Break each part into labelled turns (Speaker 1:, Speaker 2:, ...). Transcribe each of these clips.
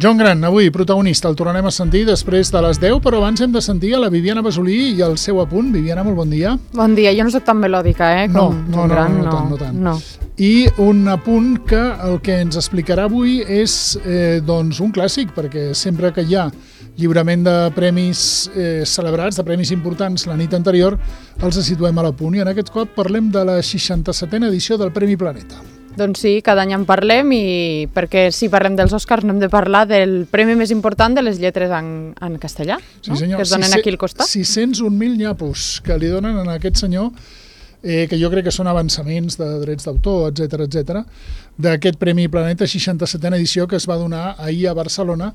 Speaker 1: Joan Gran, avui protagonista, el tornarem a sentir després de les 10, però abans hem de sentir a la Viviana Basolí i el seu apunt. Viviana, molt bon dia.
Speaker 2: Bon dia, jo no soc tan melòdica, com
Speaker 1: no tant.
Speaker 2: No.
Speaker 1: I un apunt que el que ens explicarà avui és un clàssic, perquè sempre que hi ha lliurament de premis celebrats, de premis importants la nit anterior, els situem a l'apunt. I en aquest cop parlem de la 67a edició del Premi Planeta.
Speaker 2: Doncs sí, cada any en parlem, i perquè si parlem dels Oscars no hem de parlar del premi més important de les lletres en castellà,
Speaker 1: sí, senyor.
Speaker 2: Que es donen aquí al costat.
Speaker 1: 601.000 nyapos que li donen a aquest senyor, que jo crec que són avançaments de drets d'autor, etc, d'aquest Premi Planeta 67a edició que es va donar ahir a Barcelona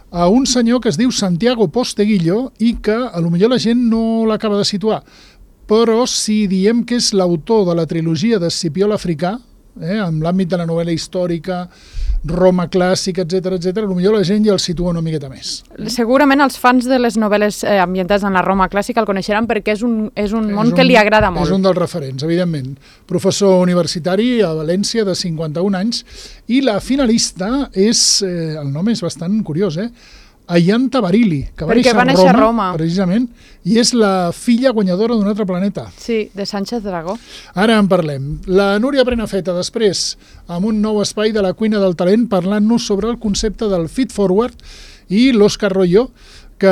Speaker 1: a un senyor que es diu Santiago Posteguillo i que potser la gent no l'acaba de situar, però si diem que és l'autor de la trilogia d'Escipió l'Africà, en l'àmbit de la novel·la històrica, Roma clàssica, etc, potser la gent ja el situa una miqueta més.
Speaker 2: Segurament els fans de les novel·les ambientades en la Roma clàssica el coneixeran perquè és un món que li agrada molt.
Speaker 1: És un dels referents, evidentment. Professor universitari a València de 51 anys i la finalista és, el nom és bastant curiós, Ayanta Barili, que va néixer a Roma, precisament, i és la filla guanyadora d'un altre planeta.
Speaker 2: Sí, de Sánchez Dragó.
Speaker 1: Ara en parlem. La Núria Prenafeta, després, amb un nou espai de la cuina del talent, parlant-nos sobre el concepte del feed forward, i l'Òscar Royo, que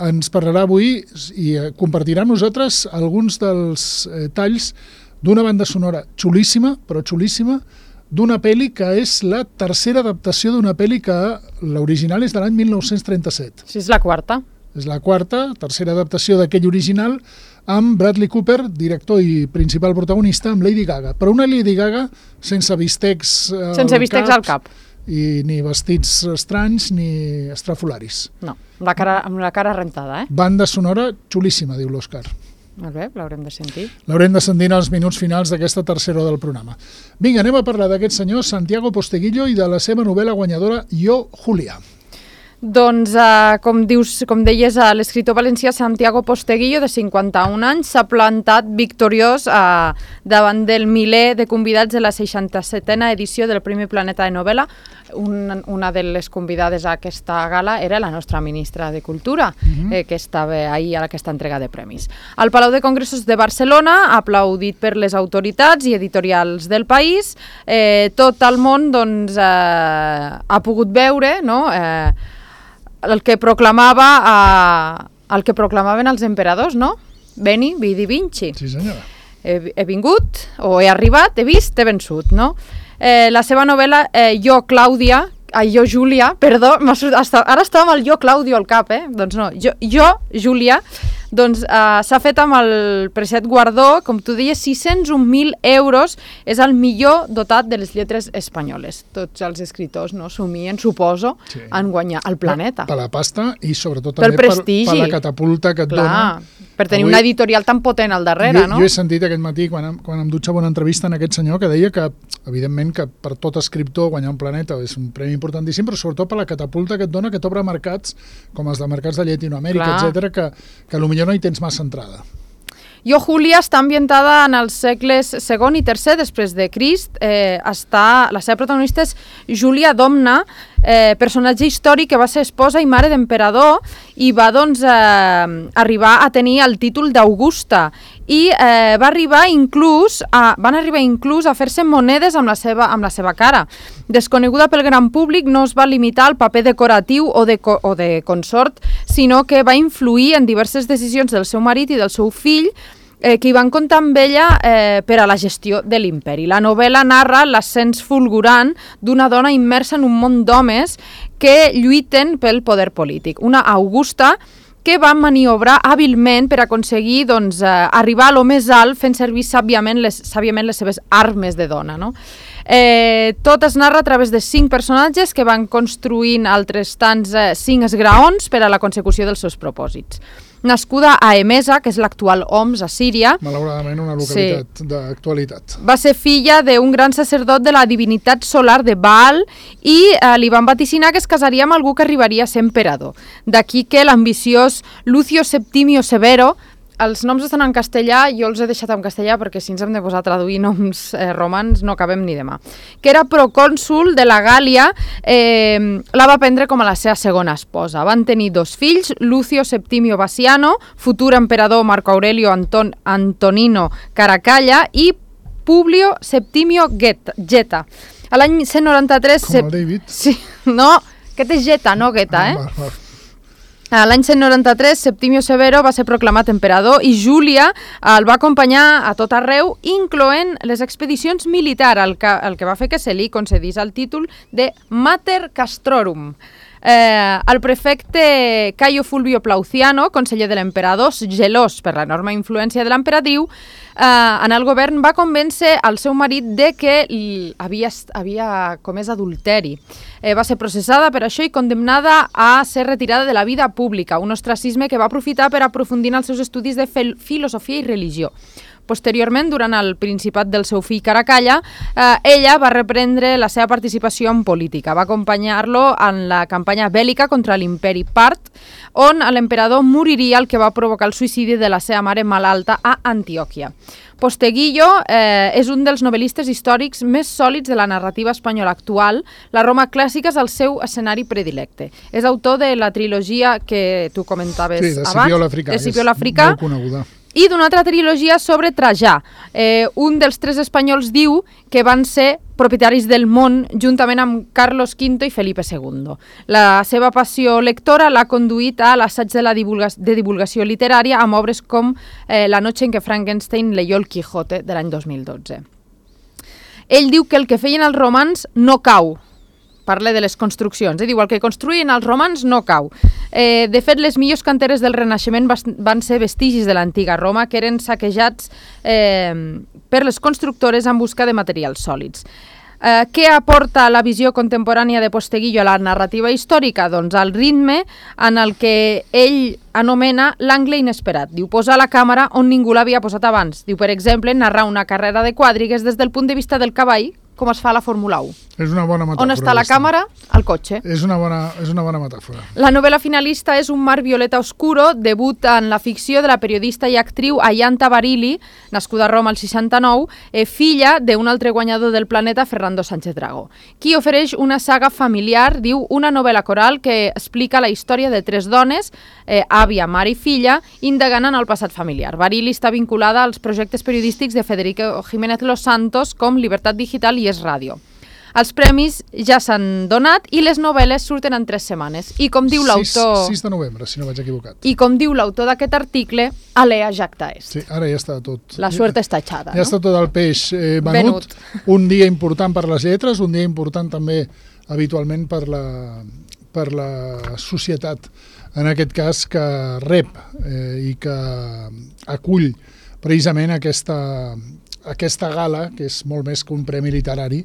Speaker 1: ens parlarà avui i compartirà amb nosaltres alguns dels talls d'una banda sonora xulíssima, però xulíssima, d'una pel·li que és la tercera adaptació d'una pel·li que l'original és de l'any 1937.
Speaker 2: Sí, és la quarta.
Speaker 1: És la quarta, tercera adaptació d'aquell original, amb Bradley Cooper, director i principal protagonista, amb Lady Gaga. Però una Lady Gaga sense bistecs
Speaker 2: al cap.
Speaker 1: I ni vestits estranys ni estrafolaris.
Speaker 2: No, amb la cara rentada,
Speaker 1: Banda sonora xulíssima, diu l'Òscar.
Speaker 2: Molt bé, l'haurem de sentir.
Speaker 1: L'haurem de sentir en els minuts finals d'aquesta tercera hora del programa. Vinga, anem a parlar d'aquest senyor Santiago Posteguillo i de la seva novel·la guanyadora Jo, Julia.
Speaker 2: Doncs, com deies, l'escriptor valencià Santiago Posteguillo, de 51 anys, s'ha plantat victoriós davant del miler de convidats de la 67a edició del Premi Planeta de Novel·la. Una de les convidades a aquesta gala era la nostra ministra de Cultura, que estava ahir a aquesta entrega de premis. Al Palau de Congressos de Barcelona, aplaudit per les autoritats i editorials del país, tot el món ha pogut veure, el que proclamaven els emperadors, no? Veni, vidi, vinci.
Speaker 1: Sí, senyora.
Speaker 2: He vingut, o he arribat, he vist, he vençut, no? La seva novel·la, Jo, Júlia, perdó, ara estava amb el Jo, Claudio al cap, Doncs no, Jo, Júlia, doncs s'ha fet amb el preciat guardó, com tu deies, 601.000 euros, és el millor dotat de les lletres espanyoles. Tots els escriptors somien, suposo, en guanyar el planeta.
Speaker 1: Per la pasta i sobretot també per la catapulta que et dona.
Speaker 2: Per tenir una editorial tan potent al darrere, no?
Speaker 1: Jo he sentit aquest matí, quan em dutxava una entrevista en aquest senyor, que deia que, evidentment, que per tot escriptor guanyar un planeta és un premi importantíssim, però sobretot per la catapulta que et dona, que t'obre mercats, com els de mercats de Llatinoamèrica, etc, que potser no hi tens massa entrada.
Speaker 2: Jo, Julia està ambientada en els segles II i III després de Crist. La seva protagonista és Júlia Domna, personatge històric que va ser esposa i mare d'emperador i va arribar a tenir el títol d'Augusta i van arribar inclús a fer-se monedes amb la seva cara. Desconeguda pel gran públic, no es va limitar al paper decoratiu o de consort, sinó que va influir en diverses decisions del seu marit i del seu fill, que hi van comptar amb ella per a la gestió de l'imperi. La novel·la narra l'ascens fulgurant d'una dona immersa en un món d'homes que lluiten pel poder polític. Una Augusta que va maniobrar hàbilment per aconseguir arribar a lo més alt fent servir sàviament les seves armes de dona, no? Tot es narra a través de 5 personatges que van construint altres tants 5 esgraons per a la consecució dels seus propòsits. Nascuda a Emesa, que és l'actual Homs, a Síria.
Speaker 1: Malauradament una localitat d'actualitat.
Speaker 2: Va ser filla d'un gran sacerdot de la divinitat solar de Baal i li van vaticinar que es casaria amb algú que arribaria a ser emperador. D'aquí que l'ambiciós Lucio Septimio Severo els noms estan en castellà, jo els he deixat en castellà perquè si ens hem de posar a traduir noms romans no acabem ni demà. Que era procònsul de la Gàlia, la va prendre com a la seva segona esposa. Van tenir 2 fills, Lucio Septimio Bassiano, futur emperador Marco Aurelio Antonino Caracalla i Publio Septimio Geta. A l'any 193...
Speaker 1: Com el David?
Speaker 2: Sí, no, aquest és Geta, no Geta, A l'any 193, Septimio Severo va ser proclamat emperador i Júlia el va acompanyar a tot arreu, incloent les expedicions militars, el que va fer que se li concedís el títol de Mater Castrorum. El prefecte Caio Fulvio Plauciano, conseller de l'emperador, gelós per l'enorme influència de l'emperadriu, en el govern va convèncer el seu marit de que havia comès adulteri. Va ser processada per això i condemnada a ser retirada de la vida pública, un ostracisme que va aprofitar per aprofundir en els seus estudis de filosofia i religió. Posteriorment, durant el principat del seu fill Caracalla, ella va reprendre la seva participació en política. Va acompanyar-lo en la campanya bèl·lica contra l'imperi part, on l'emperador moriria, el que va provocar el suïcidi de la seva mare malalta a Antioquia. Posteguillo és un dels novel·listes històrics més sòlids de la narrativa espanyola actual. La Roma clàssica és el seu escenari predilecte. És autor de la trilogia que tu comentaves abans,
Speaker 1: de Escipió l'Africà, molt coneguda.
Speaker 2: I d'una altra trilogia sobre Trajà. Un dels 3 espanyols diu que van ser propietaris del món juntament amb Carlos V i Felipe II. La seva passió lectora l'ha conduït a l'assaig de divulgació literària amb obres com La noche en què Frankenstein leyó el Quijote de l'any 2012. Ell diu que el que feien els romans no cau. Parla de les construccions. Diu, el que construïen els romans no cau. De fet, les millors canteres del Renaixement van ser vestigis de l'antiga Roma que eren saquejats per les constructores en busca de materials sòlids. Què aporta la visió contemporània de Posteguillo a la narrativa històrica? Doncs el ritme en el que ell anomena l'angle inesperat. Diu, posar la càmera on ningú l'havia posat abans. Diu, per exemple, narrar una carrera de quadrigues des del punt de vista del cavall, com es fa a la Fórmula 1.
Speaker 1: És una bona metàfora.
Speaker 2: On està la càmera? Al cotxe.
Speaker 1: És una bona metàfora.
Speaker 2: La novel·la finalista és Un mar violeta oscuro, debut en la ficció de la periodista i actriu Ayanta Barili, nascuda a Roma al 69, filla d'un altre guanyador del planeta, Fernando Sánchez Dragó, qui ofereix una saga familiar, diu, una novel·la coral que explica la història de 3 dones, àvia, mare i filla, indagant en el passat familiar. Barili està vinculada als projectes periodístics de Federico Jiménez Los Santos com Libertat Digital i Es Ràdio. Els premis ja s'han donat i les novel·les surten en 3 setmanes. I com diu l'autor...
Speaker 1: 6 de novembre, si no vaig equivocat.
Speaker 2: I com diu l'autor d'aquest article, alea jacta est.
Speaker 1: Sí, ara ja està tot.
Speaker 2: La suerte està echada,
Speaker 1: ja està tot el peix venut. Un dia important per les lletres, un dia important també habitualment per la societat, en aquest cas que rep i que acull precisament aquesta gala, que és molt més que un premi literari,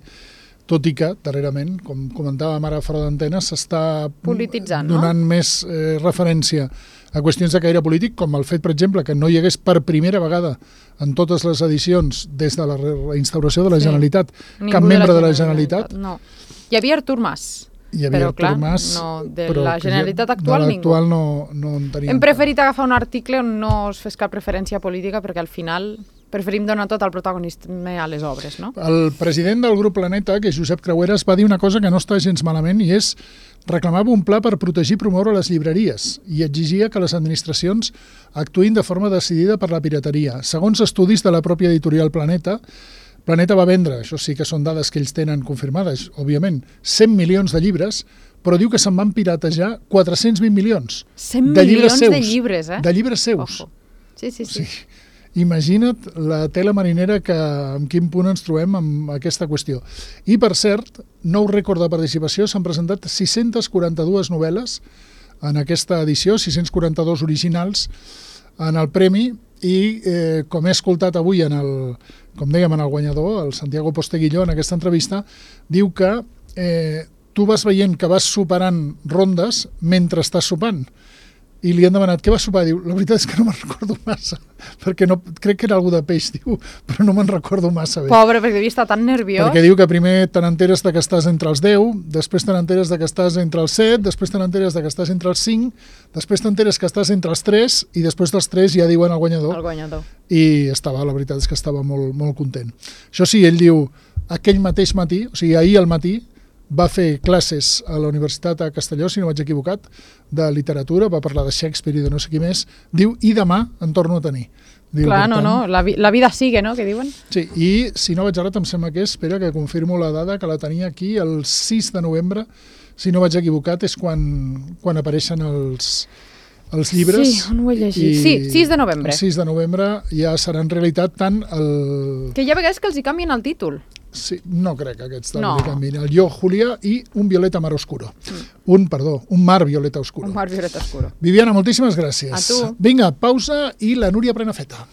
Speaker 1: tot i que, darrerament, com comentàvem ara fora d'antena, s'està
Speaker 2: polititzant,
Speaker 1: donant més referència a qüestions de caire polític, com el fet, per exemple, que no hi hagués per primera vegada en totes les edicions, des de la instauració de la Generalitat, cap membre de la Generalitat.
Speaker 2: No. Hi havia Artur Mas.
Speaker 1: Hi havia Artur Mas,
Speaker 2: de la Generalitat actual ningú.
Speaker 1: De l'actual no en teníem.
Speaker 2: Hem preferit agafar un article on no es fes cap preferència política perquè al final preferim donar tot el protagonisme a les obres, no?
Speaker 1: El president del grup Planeta, que és Josep Creueras, va dir una cosa que no està gens malament i és reclamava un pla per protegir i promoure les llibreries i exigia que les administracions actuïn de forma decidida per la pirateria. Segons estudis de la pròpia editorial Planeta va vendre, això sí que són dades que ells tenen confirmades, òbviament, 100 milions de llibres, però diu que se'n van piratejar 420 milions.
Speaker 2: 100 milions de llibres,
Speaker 1: De llibres seus.
Speaker 2: Ojo. Sí.
Speaker 1: Imagina't la tela marinera en quin punt ens trobem amb aquesta qüestió. I, per cert, nou rècord de participació, s'han presentat 642 novel·les en aquesta edició, 642 originals en el premi, i com he escoltat avui, com dèiem, en el guanyador, el Santiago Posteguillo, en aquesta entrevista, diu que tu vas veient que vas superant rondes mentre estàs sopant. i li han demanat què va sopar, diu, la veritat és que no me'n recordo massa, perquè no, crec que era algú de peix, diu, però no me'n recordo massa bé.
Speaker 2: Pobre, perquè devia estar tan nerviós.
Speaker 1: Perquè diu que primer te n'enteres de que estàs entre els 10, després te n'enteres de que estàs entre els 7, després te n'enteres de que estàs entre els 5, després t'enteres que estàs entre els 3 i després dels 3 ja diuen el guanyador.
Speaker 2: El guanyador.
Speaker 1: I la veritat és que estava molt, molt content. Això sí, ell diu, aquell mateix matí, o sigui, ahir al matí, va fer classes a la Universitat a Castelló, si no vaig equivocat, de literatura, va parlar de Shakespeare i de no sé qui més. Diu, i demà en torno a tenir. Diu,
Speaker 2: clar, no, la vida sigue, no?, que diuen.
Speaker 1: Sí, i si no vaig errat, em sembla que espera que confirmo la dada, que la tenia aquí el 6 de novembre, si no vaig equivocat, és quan apareixen els llibres.
Speaker 2: Sí, on ho he llegit? Sí, 6 de novembre.
Speaker 1: El 6 de novembre ja serà en realitat tant el...
Speaker 2: Que hi ha vegades que els hi canvien el títol.
Speaker 1: Sí, no crec que aquests no. Canvien. El Yo, Julia i Un violeta mar oscuro. Un mar violeta oscuro.
Speaker 2: Un mar violeta oscuro.
Speaker 1: Viviana, moltíssimes gràcies.
Speaker 2: A tu.
Speaker 1: Vinga, pausa i la Núria Prenafeta.